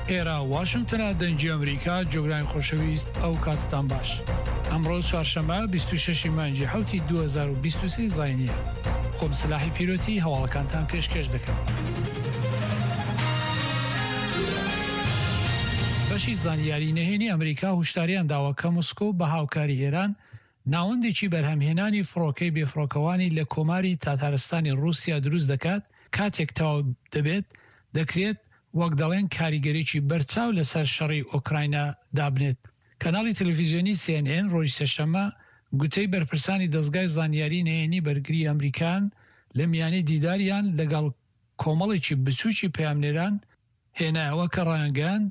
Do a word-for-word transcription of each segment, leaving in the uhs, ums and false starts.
ئێرە واشنگتنە، دەنگی ئەمریکا. جۆگرانی خۆشەویست، ئەو کاتتان باش. ئەمڕۆ چوارشەممە بیست و شەش مانگی حەوتی دوو هەزار و بیست و سێ زاینیە. خۆم سەلاحی پیرۆتی هەواڵەکانتان پێشکێش دەکەم. بەشی زانیاری نهێنی ئەمریکا هوشداریان داوە کە مسکۆ بە هاوکاری ئێران ناوەندێکی بەرهەمهێنانی فڕۆکەی بێفڕۆکەوانی لە کۆماری تاتارستانی رووسیا دروست دەکات. کاتێک تەواو دەبێت دەکرێت وەک دەڵێن کاریگەریی بەرچاو لەسەر شەڕی ئۆکراینا دابنێت. کەناڵی تەلەڤیزیۆنی سی ئێن ئێن ڕۆژی سێشەممە گوتەی بەرپرسانی دەزگای زانیاری نهێنی بەرگری ئەمریکان لە میانی دیداریان لەگەڵ کۆمەڵێکی بچووکی پەیامنێران هێنایەوە کە ڕایانگەیاند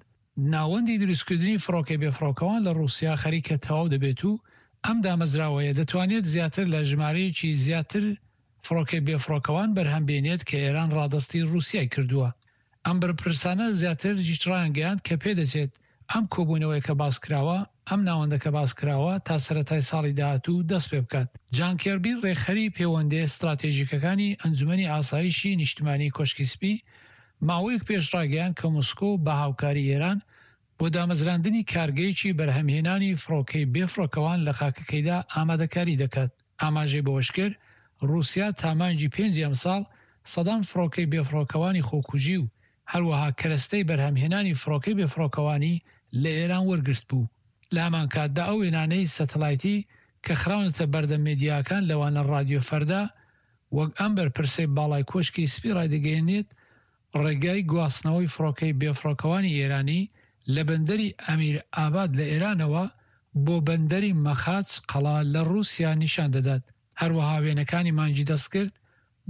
ناوەندی دروستکردنی فڕۆکەی بێفڕۆکەوان لە ڕووسیا خەریکە تەواو دەبێت و ئەم دامەزراوەیە دەتوانێت زیاتر لە ژمارەیەکی زیاتر فڕۆکەی بێفڕۆکەوان بەرهەم بێنێت کە ئێران ڕادەستی ڕووسیای کردووە. ئەم بەرپرسانە زیاتر ڕایانگەیاند کە پێدەچێت ئەم کۆبوونەوەی کە باس کراوە، ئەم ناوەندەکە باس کراوە تا سەرەتای ساڵی داهاتوو دەست پێ بکات. جان کێربی ڕێکخەری پەیوەندییە ستراتێژیکەکانی ئەنجومەنی ئاسایشی نیشتمانی کۆشکی سپی ماوەیەک پێش ڕاگەیاند کە مسکۆ بە هاوکاری ئێران بۆ دامەزراندنی کارگەیەکی بەرهەمهێنانی فڕۆکەی بێفڕۆکەوان لە خاکەکەیدا ئامادەکاری دەکات. ئاماژەی بەوەشکرد ڕووسیا تا مانگی پێنجی ئەمساڵ سەدان فڕۆکەی بێفڕۆکەوانی خۆکوژی و هەروەها کەرەستەی بەرهەمهێنانی فڕۆکەی بێفڕۆکەوانی لە ئێران وەرگرت بوو. لە هەمان کاتدا ئەو وێنانەی سەتەلایتی کە خراونەتە بەردەم مێدیاکان لەوانە ڕادیۆ فەردا وەک ئەم بەرپرسەی باڵای کۆشکی سپی ڕایدەگەیەنێت ڕێگای گواستنەوەی فڕۆکەی بێفڕۆکەوانی ئێرانی لە بەندەری ئەمیر ئاباد لە ئێرانەوە بۆ بەندەری مەخاچ قەڵا لە ڕووسیا نیشان دەدات. هەروەها وێنەکانی مانگی دەستکرد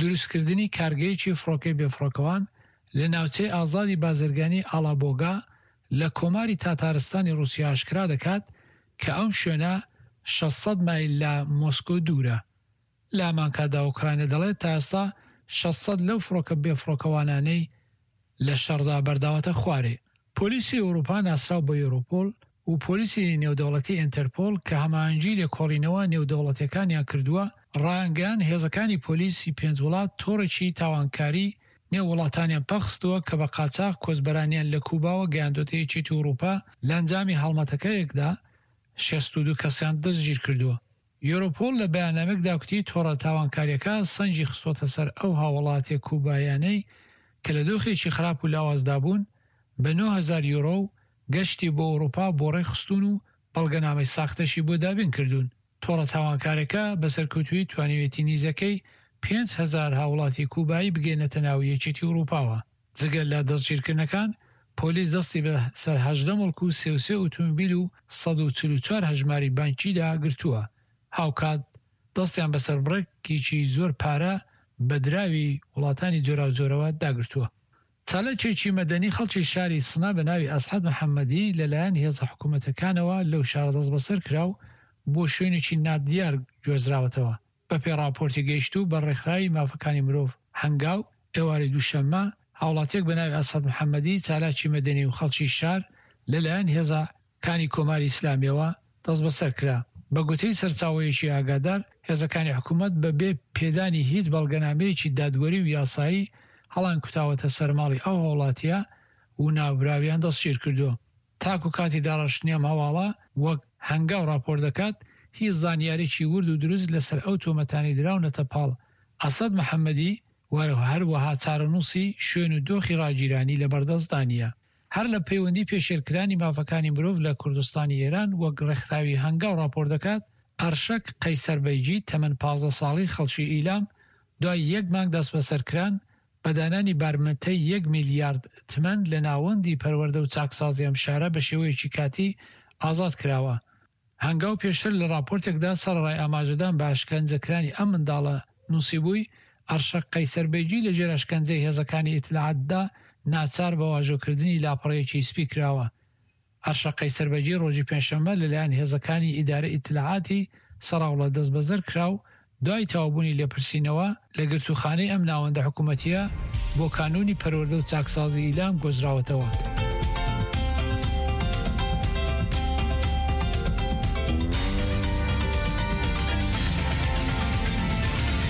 دروستکردنی کارگەیەکی فڕۆکەی بێفڕۆکەوان لە ناوچەی ئازادی بازرگانی ئالابۆگا لە کۆماری تاتارستانی ڕووسیا ئاشکرا دەکات کە ئەم شوێنە شەش سەد مایل لە مۆسکۆ دوورە. لە هەمانکاتدا ئۆکرانیا دەڵێت تا ئێستا شەش سەد لەو فڕۆکە بێفڕۆکەوانانەی لە شەڕدا بەرداوەتە خوارێ. پۆلیسی ئەوروپا ناسراو بە یۆرۆپۆل و پۆلیسی نێودەوڵەتی ئینتەرپۆل کە هەماهەنگی لێکۆڵینەوە نێودەوڵەتیەکانیان کردووە ڕایانگەیاند هێزەکانی پۆلیسی پێنج وڵات تۆڕێکی تاوانکاری نێو وڵاتانیان پەخستووە کە بە قاچاغ کۆچبەرانیان لە کوباوە گەیاندۆتە یەکێتی ئەوروپا. لە ئەنجامی هەڵمەتەکەیەکدا شەست و دوو کەسیان دەستگیر کردووە. یۆرۆپۆل لە بەیاننامەیەکدا گوتی تۆڕە تاوانکاریەکە سەنگی خستۆتە سەر ئەو هاوڵاتیە کوبایانەی کە لە دۆخێکی خراپ و لاوازدا بوون بە نۆ هەزار یۆرۆ و گەشتی بۆ ئەوروپا بۆ ڕێکخستوون و بەڵگەنامەی ساختەشی بۆ دابین کردوون. تۆڕە تاوانکارەکە بە سەرکەوتوویی توانیوێتی نیزەکەی پێنج هەزار هاوڵاتی کوبایی بگەینەتە ناو یەکێتی ئەوروپاوە. جگە لە دەستگیرکردنەکان پۆلیس دەستی بە سەر هەژدە مڵک و سێ و سێ ئۆتۆمبیل و سەد و چل و چوار هەژماری بانکیدا گرتووە. هاوکات دەستیان بەسەر بڕێکێکی زۆر پارە بە دراوی وڵاتانی جۆراوجۆرەوە داگرتووە. چالاکێکی مەدەنی خەڵکی شاری سنە بە ناوی ئەسعەد محەممەدی لەلایەن هێزە حکوومەتەکانەوە لەو شارە دەستبەسەر کرا و بۆ شوێنێکی نادیار گوێزراوەتەوە. بەپێی ڕاپۆرتی گەیشتوو بە ڕێکخراوی مافەکانی مرۆڤ هەنگاو، ئێوارەی دووشەممە هاوڵاتیەک بە ناوی ئەسعەد محەممەدی چالاکی مەدەنی و خەڵکی شار لەلایەن هێزەکانی کۆماری ئیسلامیەوە دەستبەسەر کرا. بە گوتەی سەرچاوەیەکی ئاگادار هێزەکانی حکوومەت بە بێ پێدانی هیچ بەڵگەنامەیەکی دادوەری و یاسایی هەڵان کوتاوەتە سەرماڵی ئەو هاوڵاتیە و ناوبراویان دەستگیر کردووە. تاکو کاتی داڕشتنی ئەم هەواڵە وەک هەنگاو راپۆرت دەکات هیچ زانیاریی ورد و دروست لەسەر ئەو تۆمەتانەی دراونەتە پاڵ ئەسەد محەممەدی و هەروەها چارەنووسی شوێن و دۆخی ڕاگیرانی لەبەردەستدا نییە. هەر لە پەیوەندی پێشێلکرانی مافەکانی مرۆڤ لە کوردستانی ئێران وەک ڕێکخراوی هەنگاو راپۆرت دەکات ئەرشەک قەیسەربەیگی تەمەن پازدە ساڵی خەڵکی ئیلام دوای یەک مانگ دەستبەسەرکران بە دانانی بارمتەی یەک میلیارد تمەن لە ناوەندی پەروەردە و چاکسازی ئەم شارە بە شێوەیەکی کاتی ئازاد کراوە. هەنگاو پێشتر لە راپۆرتێکدا سەرەڕای ئاماژەدان بە ئەشکەنجەکرانی ئەم منداڵە نووسیبووی ئەرشەک قەیسەربەیگی لەژێر ئەشکەنجەی هێزەکانی ئیتلاعاتدا ناچار بە واژۆکردنی لاپەڕەیەکی سپی کراوە. ئەرشەک قەیسەربەیگی ڕۆژی پێنجشەممە لەلایەن هێزەکانی ئیدارە ئیتلاعاتی سەراوڵە دەستبەسەر کرا و دوای تەواوبوونی لێپرسینەوە لە گرتووخانەی ئەم ناوەندە حکوومەتیە بۆ کانوونی پەروەردە و چاکسازی ئیلام گۆزراوەتەوە.